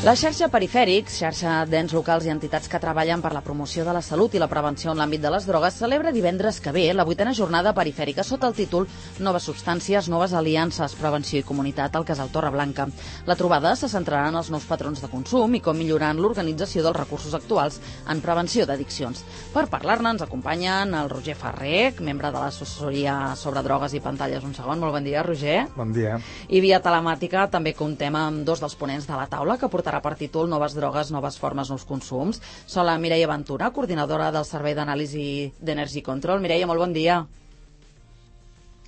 La xarxa Perifèrics, xarxa d'ens locals i entitats que treballen per la promoció de la salut i la prevenció en l'àmbit de les drogues, celebra divendres que ve la 8a jornada perifèrica sota el títol Noves substàncies, noves aliances, prevenció i comunitat al Casal Torreblanca. La trobada se centrarà en els nous patrons de consum i com millorar l'organització dels recursos actuals en prevenció d'addiccions. Per parlar-ne ens acompanyen el Roger Ferrer, membre de l'assessoria sobre drogues i pantalles. Un segon, molt bon dia, Roger. Bon dia. I via telemàtica també comptem amb dos dels ponents de la taula que portarà per títol Noves drogues, noves formes, nous consums. Són la Mireia Ventura, coordinadora del Servei d'Anàlisi d'Energy Control. Mireia, molt bon dia.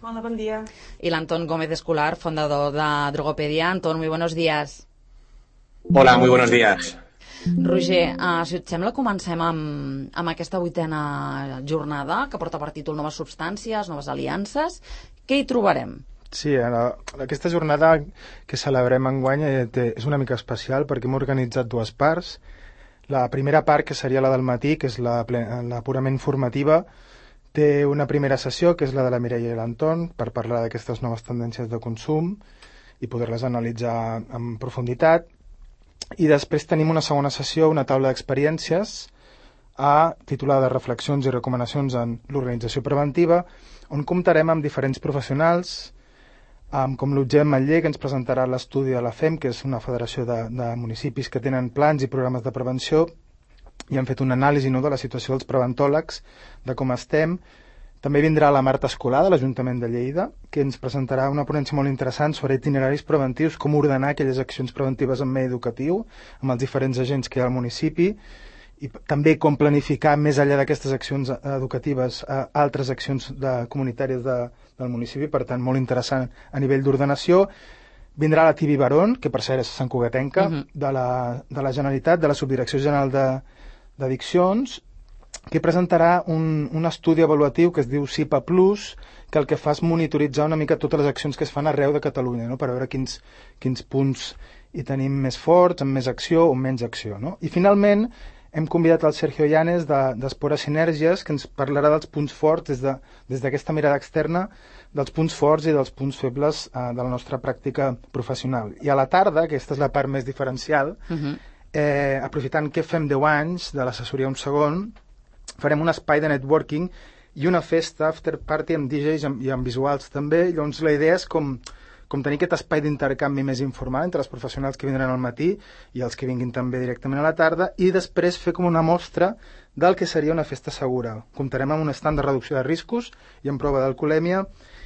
Hola, bon dia. Y el Antón Gómez Escolar, fundador de Drogopedia. Antón, muy buenos días. Hola, muy buenos días. Roger, si et sembla, comencem amb aquesta 8a jornada que porta per títol Noves substàncies, noves aliances. Què hi trobarem? Sí, aquesta jornada que celebrem enguany és una mica especial perquè hem organitzat dues parts. La primera part, que seria la del matí, que és la purament formativa, té una primera sessió, que és la de la Mireia i l'Anton, per parlar d'aquestes noves tendències de consum i poder-les analitzar en profunditat. I després tenim una segona sessió, una taula d'experiències, titulada Reflexions i recomanacions en l'organització preventiva, on comptarem amb diferents professionals, com l'Utgem Matller, que ens presentarà l'estudi de la FEM, que és una federació de municipis que tenen plans i programes de prevenció, i han fet una anàlisi de la situació dels preventòlegs, de com estem. També vindrà la Marta Escolar, de l'Ajuntament de Lleida, que ens presentarà una ponència molt interessant sobre itineraris preventius, com ordenar aquelles accions preventives en medi educatiu, amb els diferents agents que hi ha al municipi, i també com planificar més enllà d'aquestes accions educatives altres accions comunitàries del municipi, per tant molt interessant a nivell d'ordenació. Vindrà la Tibi Barón, que per cert és santcugatenca, de la Generalitat, de la Subdirecció General d'Addiccions, que presentarà un estudi avaluatiu que es diu SIPA Plus, que el que fa és monitoritzar una mica totes les accions que es fan arreu de Catalunya, no? Per veure quins punts hi tenim més forts, amb més acció o menys acció, no? I finalment hem convidat el Sergio Llanes d'Espora Sinergies, que ens parlarà dels punts forts des d'aquesta mirada externa, dels punts forts i dels punts febles de la nostra pràctica professional. I a la tarda, aquesta és la part més diferencial, aprofitant que fem 10 anys de l'assessoria Un Segon, farem un espai de networking i una festa after party amb DJs i amb visuals també. Llavors la idea és com tenir aquest espai d'intercanvi més informal entre els professionals que vindran al matí i els que vinguin també directament a la tarda, i després fer com una mostra del que seria una festa segura. Comptarem amb un estand de reducció de riscos i amb prova d'alcoholèmia,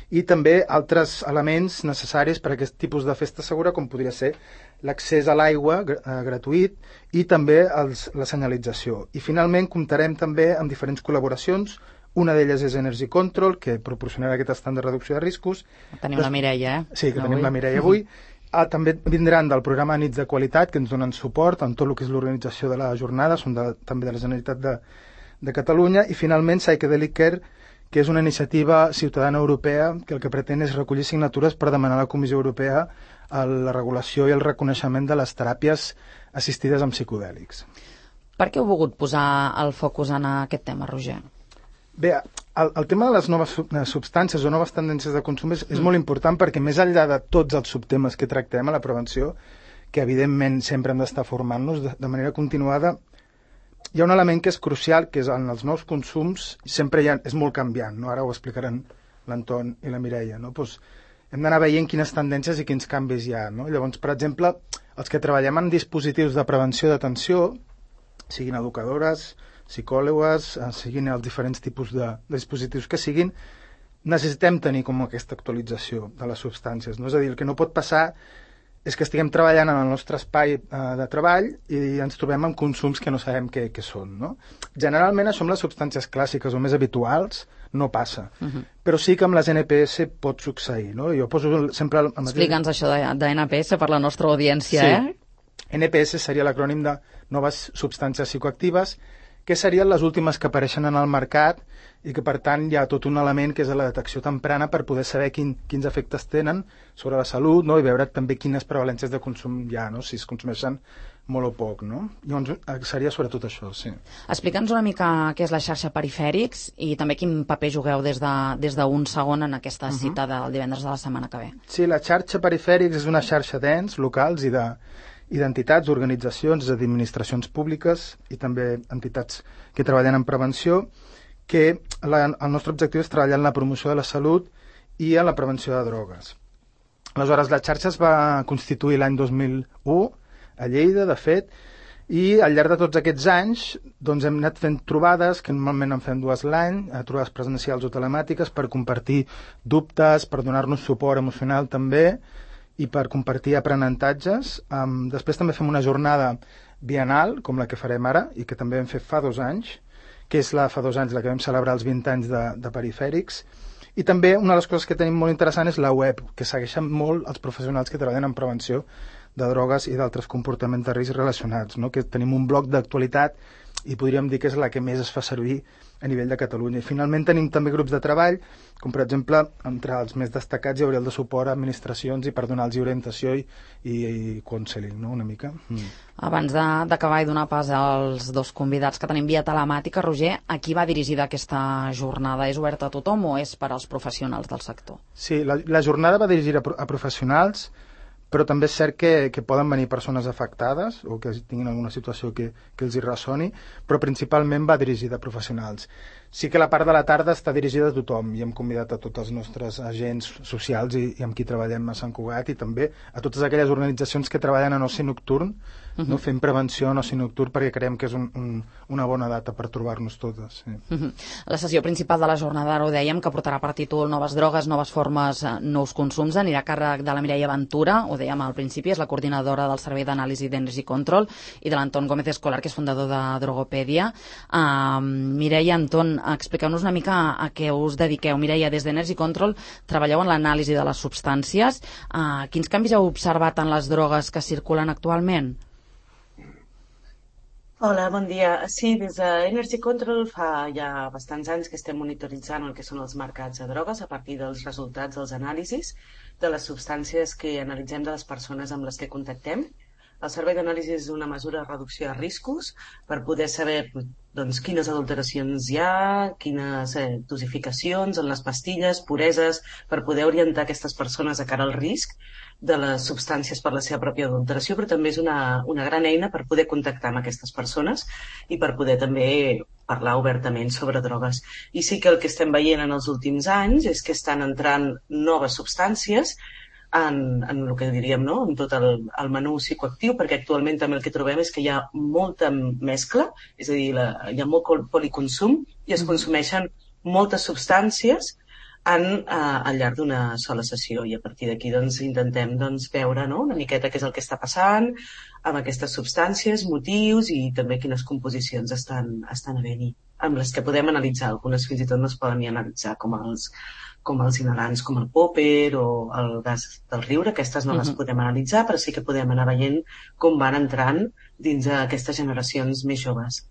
i també altres elements necessaris per a aquest tipus de festa segura, com podria ser l'accés a l'aigua gratuït i també la senyalització. I finalment comptarem també amb diferents col·laboracions. Una d'elles és Energy Control, que proporcionarà aquest estand de reducció de riscos. Tenim la Mireia, Sí, que tenim la Mireia avui. També vindran del programa Nits de Qualitat, que ens donen suport en tot el que és l'organització de la jornada, són també de la Generalitat de Catalunya. I finalment Psychedelic Care, que és una iniciativa ciutadana europea que el que pretén és recollir signatures per demanar a la Comissió Europea la regulació i el reconeixement de les teràpies assistides amb psicodèlics. Per què heu volgut posar el focus en aquest tema, Roger? Bé, el tema de les noves substàncies o noves tendències de consum és molt important, perquè més enllà de tots els subtemes que tractem a la prevenció, que evidentment sempre hem d'estar formant-nos de manera continuada, hi ha un element que és crucial, que és en els nous consums sempre és molt canviant, no? Ara ho explicaran l'Anton i la Mireia, no? Doncs hem d'anar veient quines tendències i quins canvis hi ha, no? Llavors, per exemple, els que treballem en dispositius de prevenció d'atenció, siguin educadores, psicòlogues, siguin els diferents tipus de dispositius que siguin, necessitem tenir com aquesta actualització de les substàncies, no? És a dir, el que no pot passar és que estiguem treballant en el nostre espai de treball i ens trobem amb consums que no sabem què són, no? Generalment això amb les substàncies clàssiques o més habituals no passa, però sí que amb les NPS pot succeir, no? Jo poso sempre... Explica'ns això de NPS per la nostra audiència, sí. NPS seria l'acrònim de Noves Substàncies Psicoactives, que serien les últimes que apareixen en el mercat i que, per tant, hi ha tot un element que és la detecció temprana per poder saber quins efectes tenen sobre la salut, no? I veure també quines prevalències de consum hi ha, no? Si es consumeixen molt o poc, no? Llavors seria sobretot això, sí. Explica'ns una mica què és la xarxa Perifèrics i també quin paper jugueu des d'un segon en aquesta cita del divendres de la setmana que ve. Sí, la xarxa Perifèrics és una xarxa d'ens locals i i d'entitats, organitzacions, administracions públiques i també entitats que treballen en prevenció, que el nostre objectiu és treballar en la promoció de la salut i en la prevenció de drogues. Aleshores, la xarxa es va constituir l'any 2001 a Lleida, de fet, i al llarg de tots aquests anys doncs, hem anat fent trobades, que normalment en fem 2 l'any, trobades presencials o telemàtiques, per compartir dubtes, per donar-nos suport emocional també, i per compartir aprenentatges. Després també fem una jornada bienal, com la que farem ara, i que també vam fer fa 2 anys, que és fa 2 anys la que vam celebrar els 20 anys de Perifèrics. I també una de les coses que tenim molt interessant és la web, que segueixen molt els professionals que treballen en prevenció de drogues i d'altres comportaments de risc relacionats, no? Que tenim un bloc d'actualitat i podríem dir que és la que més es fa servir a nivell de Catalunya. I finalment tenim també grups de treball, com per exemple, entre els més destacats hi hauria el de suport a administracions i per donar-los orientació i counseling, no? Una mica. Abans d'acabar i donar pas als 2 convidats que tenim via telemàtica, Roger, a qui va dirigida aquesta jornada? És oberta a tothom o és per als professionals del sector? Sí, la jornada va dirigida a professionals, però també és cert que poden venir persones afectades o que tinguin alguna situació que els hi ressoni, però principalment va dirigida a professionals. Sí que la part de la tarda està dirigida a tothom i hem convidat a tots els nostres agents socials i amb qui treballem a Sant Cugat i també a totes aquelles organitzacions que treballen en oci nocturn, no? Fent prevenció en oci nocturn, perquè creiem que és una bona data per trobar-nos totes. Sí. La sessió principal de la jornada, ara ho dèiem, que portarà per títol Noves drogues, noves formes, nous consums, anirà a càrrec de la Mireia Ventura, ho dèiem al principi, és la coordinadora del Servei d'Anàlisi d'Energy Control, i de l'Anton Gómez Escolar, que és fundador de Drogopèdia. Mireia, Anton, expliqueu-nos una mica a què us dediqueu. Mireia, des d'Energy Control treballeu en l'anàlisi de les substàncies. Quins canvis heu observat en les drogues que circulen actualment? Hola, bon dia. Sí, des d'Energy Control fa ja bastants anys que estem monitoritzant el que són els mercats de drogues a partir dels resultats dels anàlisis de les substàncies que analitzem de les persones amb les que contactem. El servei d'anàlisi és una mesura de reducció de riscos per poder saber doncs, quines adulteracions hi ha, quines dosificacions en les pastilles, pureses, per poder orientar aquestes persones a cara al risc de les substàncies per la seva pròpia adulteració, però també és una gran eina per poder contactar amb aquestes persones i per poder també parlar obertament sobre drogues. I sí que el que estem veient en els últims anys és que estan entrant noves substàncies en el que diríem, no? En tot el menú psicoactiu, perquè actualment també el que trobem és que hi ha molta mescla, és a dir, hi ha molt policonsum i es consumeixen moltes substàncies al llarg d'una sola sessió, i a partir d'aquí doncs, intentem veure, no? Una miqueta què és el que està passant amb aquestes substàncies, motius i també quines composicions estan havent-hi, amb les que podem analitzar. Algunes fins i tot no es poden ni analitzar, com els inhalants, com el popper o el gas del riure. Aquestes no les podem analitzar, però sí que podem anar veient com van entrant dins aquestes generacions més joves.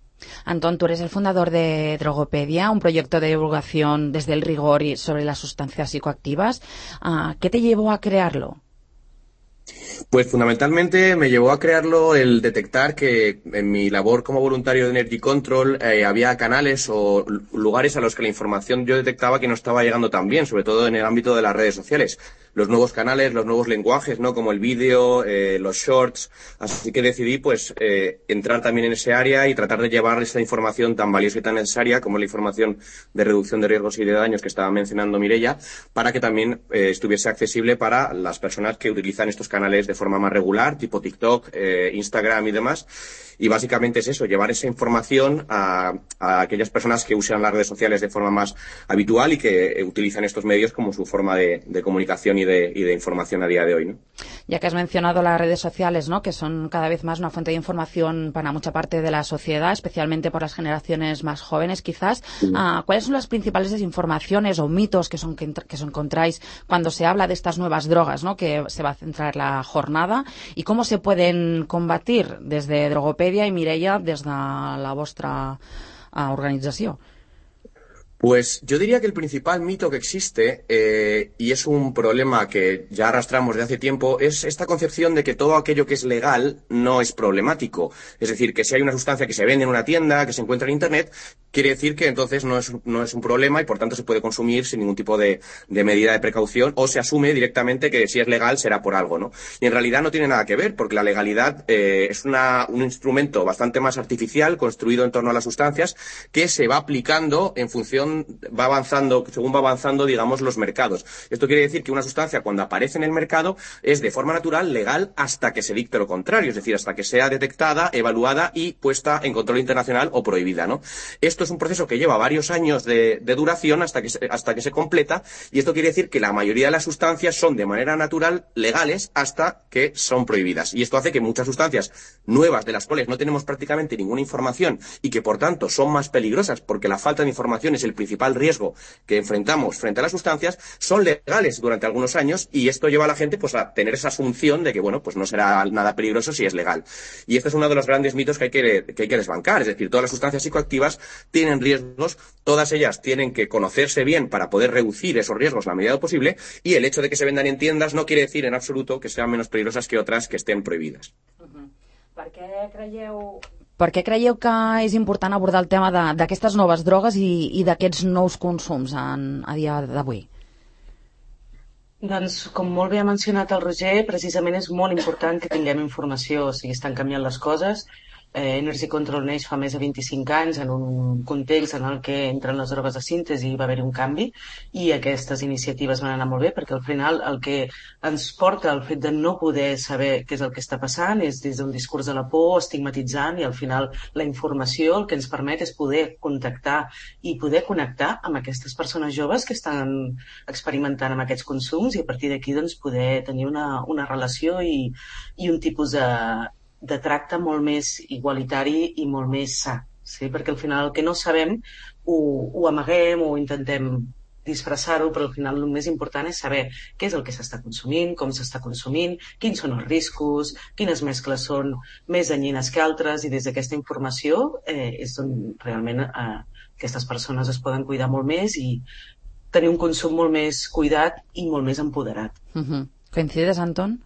Antón, tú eres el fundador de Drogopèdia, un proyecto de divulgación desde el rigor y sobre las sustancias psicoactivas. ¿Qué te llevó a crearlo? Pues fundamentalmente me llevó a crearlo el detectar que en mi labor como voluntario de Energy Control había canales o lugares a los que la información yo detectaba que no estaba llegando tan bien, sobre todo en el ámbito de las redes sociales. Los nuevos canales, los nuevos lenguajes, ¿no? Como el vídeo, los shorts. Así que decidí pues entrar también en ese área y tratar de llevar esa información tan valiosa y tan necesaria como la información de reducción de riesgos y de daños que estaba mencionando Mireia, para que también estuviese accesible para las personas que utilizan estos canales de forma más regular, tipo TikTok, Instagram y demás. Y básicamente es eso, llevar esa información a aquellas personas que usan las redes sociales de forma más habitual y que utilizan estos medios como su forma de comunicación y de información a día de hoy, ¿no? Ya que has mencionado las redes sociales, ¿no? Que son cada vez más una fuente de información para mucha parte de la sociedad, especialmente por las generaciones más jóvenes, quizás. Sí. ¿Cuáles son las principales desinformaciones o mitos que os encontráis cuando se habla de estas nuevas drogas, ¿no? Que se va a centrar la jornada, y cómo se pueden combatir desde Drogopèdia y Mireia, desde la vostra organización? Pues yo diría que el principal mito que existe, y es un problema que ya arrastramos de hace tiempo, es esta concepción de que todo aquello que es legal no es problemático. Es decir, que si hay una sustancia que se vende en una tienda, que se encuentra en Internet, quiere decir que entonces no es un problema y por tanto se puede consumir sin ningún tipo de medida de precaución, o se asume directamente que si es legal será por algo, ¿no? Y en realidad no tiene nada que ver, porque la legalidad es un instrumento bastante más artificial, construido en torno a las sustancias, que se va aplicando en función, según va avanzando, digamos, los mercados. Esto quiere decir que una sustancia, cuando aparece en el mercado, es de forma natural legal hasta que se dicte lo contrario, es decir, hasta que sea detectada, evaluada y puesta en control internacional o prohibida, ¿no? Esto es un proceso que lleva varios años de duración hasta que se completa, y esto quiere decir que la mayoría de las sustancias son de manera natural legales hasta que son prohibidas. Y esto hace que muchas sustancias nuevas, de las cuales no tenemos prácticamente ninguna información y que por tanto son más peligrosas porque la falta de información es el principal riesgo que enfrentamos frente a las sustancias, son legales durante algunos años, y esto lleva a la gente pues a tener esa asunción de que bueno, pues no será nada peligroso si es legal. Y este es uno de los grandes mitos que hay que desbancar, es decir, todas las sustancias psicoactivas tienen riesgos, todas ellas tienen que conocerse bien para poder reducir esos riesgos a la medida de lo posible, y el hecho de que se vendan en tiendas no quiere decir en absoluto que sean menos peligrosas que otras que estén prohibidas. Per què creieu que és important abordar el tema d'aquestes noves drogues i d'aquests nous consums a dia d'avui? Doncs, com molt bé ha mencionat el Roger, precisament és molt important que tinguem informació, o sigui, estan canviant les coses. Energy Control neix fa més de 25 anys en un context en el que entren les drogues de síntesi i va haver-hi un canvi, i aquestes iniciatives van anar molt bé, perquè al final el que ens porta al fet de no poder saber què és el que està passant és des d'un discurs de la por, estigmatitzant, i al final la informació el que ens permet és poder contactar i poder connectar amb aquestes persones joves que estan experimentant amb aquests consums, i a partir d'aquí doncs, poder tenir una relació i un tipus de tracte molt més igualitari i molt més sa, sí? Perquè al final el que no sabem ho amaguem o intentem disfressar-ho, però al final el més important és saber què és el que s'està consumint, com s'està consumint, quins són els riscos, quines mescles són més danyines que altres, i des d'aquesta informació és on realment aquestes persones es poden cuidar molt més i tenir un consum molt més cuidat i molt més empoderat. ¿Coincides, Antón?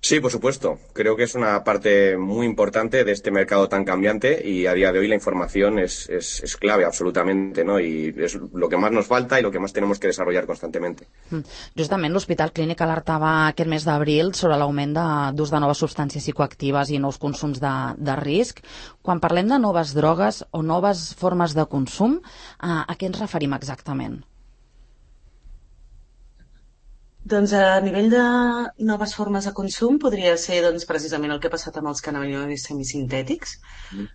Sí, por supuesto. Creo que es una parte muy importante de este mercado tan cambiante, y a día de hoy la información es clave absolutamente, ¿no? Y es lo que más nos falta y lo que más tenemos que desarrollar constantemente. Justament l'Hospital Clínic alertava aquest mes d'abril sobre l'augment d'ús de noves substàncies psicoactives i nous consums de risc. Quan parlem de noves drogues o noves formes de consum, a què ens referim exactament? Doncs a nivell de noves formes de consum podria ser doncs, precisament el que ha passat amb els cannabinoides semisintètics,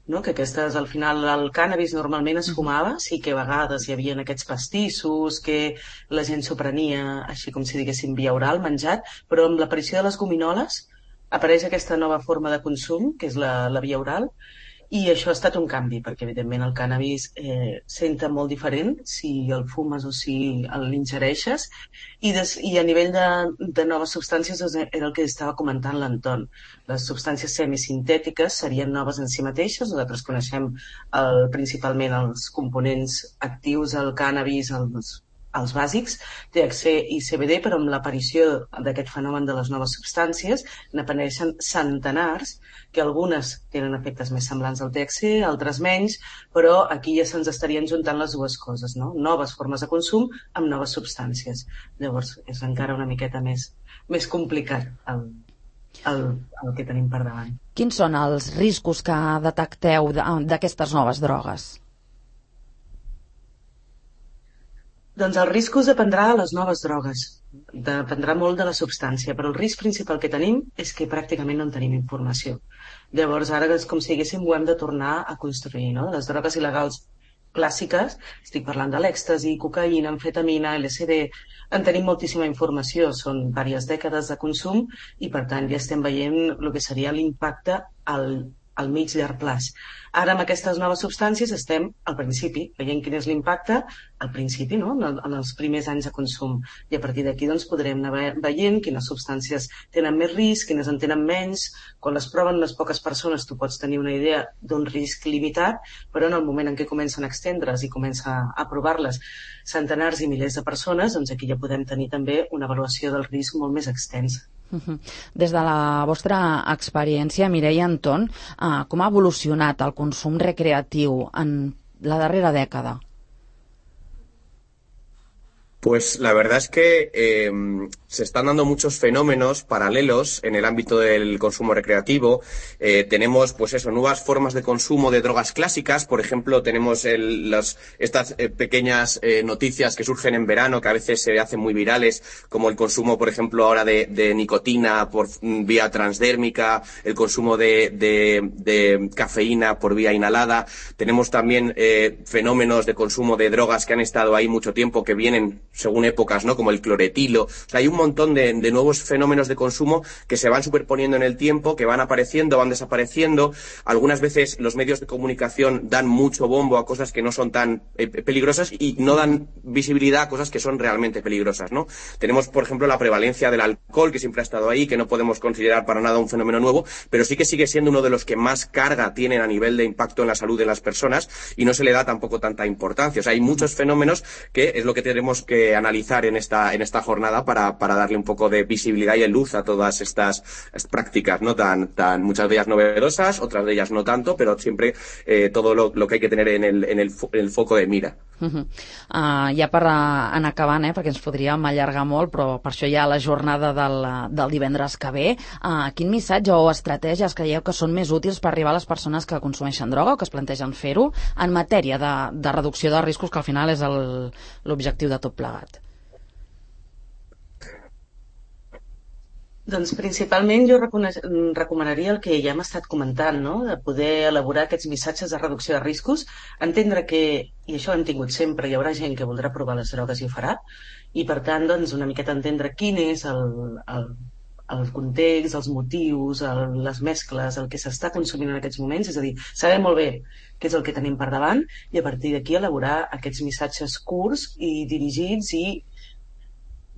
no? Que aquestes, al final, el cànnabis normalment es fumava, sí que a vegades hi havia aquests pastissos que la gent s'ho prenia, així com si diguéssim via oral, menjat, però amb l'aparició de les gominoles apareix aquesta nova forma de consum, que és la via oral, i això ha estat un canvi, perquè evidentment el cànnabis senta molt diferent si el fumes o si l'ingereixes, i a nivell de noves substàncies era el que estava comentant l'Anton. Les substàncies semisintètiques serien noves en si mateixes, nosaltres coneixem principalment els components actius del cànnabis, els bàsics, THC i CBD, però amb l'aparició d'aquest fenomen de les noves substàncies n'apareixen centenars, que algunes tenen efectes més semblants al THC, altres menys, però aquí ja se'ns estarien juntant les dues coses, no? Noves formes de consum amb noves substàncies. Llavors és encara una miqueta més complicat el que tenim per davant. Quins són els riscos que detecteu d'aquestes noves drogues? Doncs els riscos dependrà de les noves drogues, dependrà molt de la substància, però el risc principal que tenim és que pràcticament no en tenim informació. Llavors ara és com si diguéssim ho hem de tornar a construir, no? Les drogues il·legals clàssiques, estic parlant de l'èxtasi, cocaïna, amfetamina, LSD, en tenim moltíssima informació, són diverses dècades de consum i per tant ja estem veient el que seria l'impacte al mig llarg plaç. Ara amb aquestes noves substàncies estem al principi, veient quin és l'impacte al principi, no? En els primers anys de consum, i a partir d'aquí doncs, podrem anar veient quines substàncies tenen més risc, quines en tenen menys. Quan les proven unes poques persones tu pots tenir una idea d'un risc limitat, però en el moment en què comencen a extendre's i comença a provar-les centenars i milers de persones, doncs aquí ja podem tenir també una avaluació del risc molt més extensa. Des de la vostra experiència, Mireia, Anton, com ha evolucionat el consum recreatiu en la darrera dècada? Pues la verdad es que se están dando muchos fenómenos paralelos en el ámbito del consumo recreativo. Tenemos, pues eso, nuevas formas de consumo de drogas clásicas. Por ejemplo, tenemos estas pequeñas noticias que surgen en verano, que a veces se hacen muy virales, como el consumo, por ejemplo, ahora de nicotina por vía transdérmica, el consumo de cafeína por vía inhalada. Tenemos también fenómenos de consumo de drogas que han estado ahí mucho tiempo, que vienen según épocas, ¿no? Como el cloretilo. O sea, hay un montón de nuevos fenómenos de consumo que se van superponiendo en el tiempo, que van apareciendo, van desapareciendo. Algunas veces los medios de comunicación dan mucho bombo a cosas que no son tan peligrosas y no dan visibilidad a cosas que son realmente peligrosas, ¿no? Tenemos, por ejemplo, la prevalencia del alcohol, que siempre ha estado ahí, que no podemos considerar para nada un fenómeno nuevo, pero sí que sigue siendo uno de los que más carga tienen a nivel de impacto en la salud de las personas y no se le da tampoco tanta importancia. O sea, hay muchos fenómenos que es lo que tenemos que analizar en esta jornada para darle un poco de visibilidad y de luz a todas estas prácticas, ¿no? Tan muchas de ellas novedosas, otras de ellas no tanto, pero siempre todo lo que hay que tener en el foco de mira. Ja per anar acabant, perquè ens podríem allargar molt, però per això hi ha la jornada del divendres que ve. Quin missatge o estratègies creieu que són més útils per arribar a les persones que consumeixen droga o que es plantegen fer-ho en matèria de reducció de riscos, que al final és l'objectiu de tot plegat? Doncs principalment jo recomanaria el que ja hem estat comentant, no? De poder elaborar aquests missatges de reducció de riscos, entendre que, i això ho hem tingut sempre, hi haurà gent que voldrà provar les drogues i ho farà, i per tant doncs, una miqueta entendre quin és el context, els motius, les mescles, el que s'està consumint en aquests moments, és a dir, saber molt bé què és el que tenim per davant i a partir d'aquí elaborar aquests missatges curts i dirigits i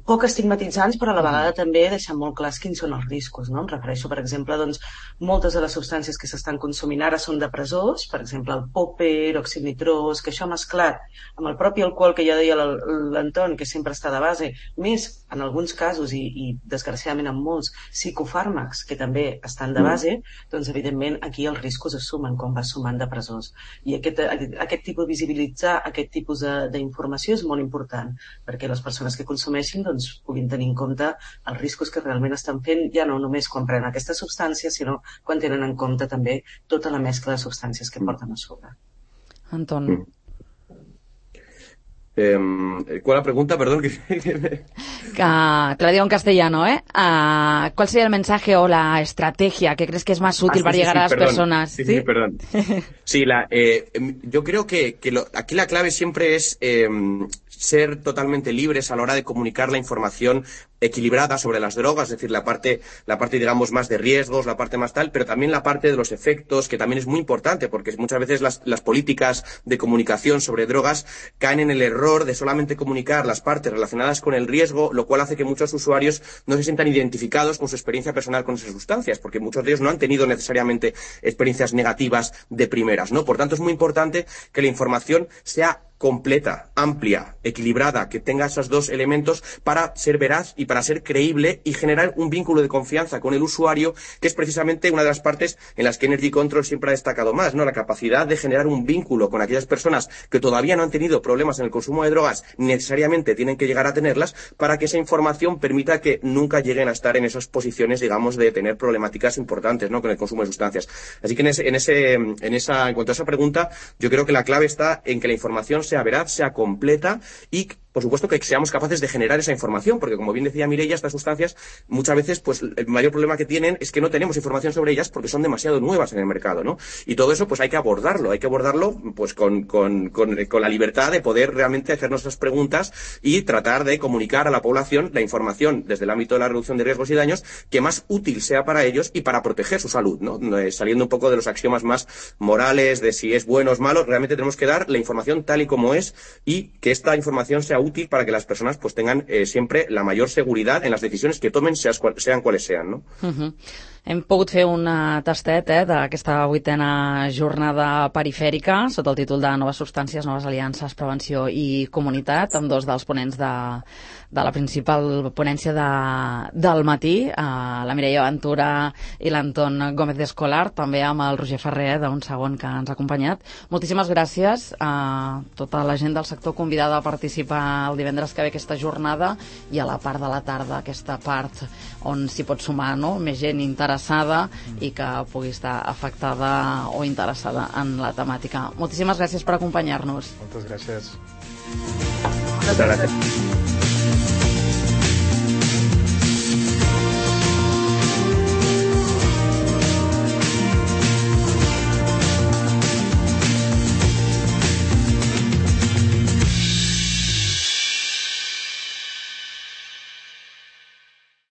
poc estigmatitzants, però a la vegada també deixar molt clars quins són els riscos, no? Em refereixo, per exemple, doncs, moltes de les substàncies que s'estan consumint ara són depressors, per exemple, el popper, òxid nitrós, que això mesclat amb el propi alcohol que ja deia l'Anton, que sempre està de base, més en alguns casos i desgraciadament en molts psicofàrmacs que també estan de base, doncs evidentment aquí els riscos es sumen quan vas sumant depressors. I aquest tipus de visibilitzar aquest tipus d'informació és molt important, perquè les persones que consumeixin doncs, puguin tenir en compte els riscos que realment estan fent, ja no només quan prenen aquestes substàncies, sinó quan tenen en compte també tota la mescla de substàncies que porten a sobre. Anton. ¿Cuál la pregunta? Perdón. Te la digo en castellano, ¿eh? ¿Cuál sería el mensaje o la estrategia que crees que es más útil para llegar a las personas? Sí, perdón. Sí, yo creo que aquí la clave siempre es ser totalmente libres a la hora de comunicar la información equilibrada sobre las drogas, es decir, la parte digamos más de riesgos, la parte más tal, pero también la parte de los efectos, que también es muy importante, porque muchas veces las políticas de comunicación sobre drogas caen en el error de solamente comunicar las partes relacionadas con el riesgo, lo cual hace que muchos usuarios no se sientan identificados con su experiencia personal con esas sustancias, porque muchos de ellos no han tenido necesariamente experiencias negativas de primeras, ¿no? Por tanto, es muy importante que la información sea completa, amplia, equilibrada, que tenga esos dos elementos para ser veraz y para ser creíble y generar un vínculo de confianza con el usuario, que es precisamente una de las partes en las que Energy Control siempre ha destacado más, ¿no? La capacidad de generar un vínculo con aquellas personas que todavía no han tenido problemas en el consumo de drogas, necesariamente tienen que llegar a tenerlas, para que esa información permita que nunca lleguen a estar en esas posiciones, digamos, de tener problemáticas importantes, ¿no? Con el consumo de sustancias. Así que en cuanto a esa pregunta, yo creo que la clave está en que la información sea veraz, sea completa y, por supuesto, que seamos capaces de generar esa información, porque, como bien decía Mireia, estas sustancias muchas veces, pues, el mayor problema que tienen es que no tenemos información sobre ellas porque son demasiado nuevas en el mercado, ¿no? Y todo eso, pues, hay que abordarlo, pues, con la libertad de poder realmente hacernos esas preguntas y tratar de comunicar a la población la información desde el ámbito de la reducción de riesgos y daños que más útil sea para ellos y para proteger su salud, ¿no? Saliendo un poco de los axiomas más morales de si es bueno o es malo, realmente tenemos que dar la información tal y como es y que esta información sea útil para que las personas pues tengan siempre la mayor seguridad en las decisiones que tomen, sean cuales sean, ¿no? Hem pogut fer un tastet d'aquesta 8a jornada perifèrica sota el títol de Noves substàncies, noves aliances, prevenció i comunitat, amb dos dels ponents de la principal ponència del matí, la Mireia Ventura i l'Anton Gómez d'Escolar, també amb el Roger Ferrer, d'un segon que ens ha acompanyat. Moltíssimes gràcies a tota la gent del sector convidada a participar el divendres que ve aquesta jornada, i a la part de la tarda, aquesta part on s'hi pot sumar, no?, més gent interessada i que pugui estar afectada o interessada en la temàtica. Moltíssimes gràcies per acompanyar-nos. Moltes gràcies. Moltes gràcies.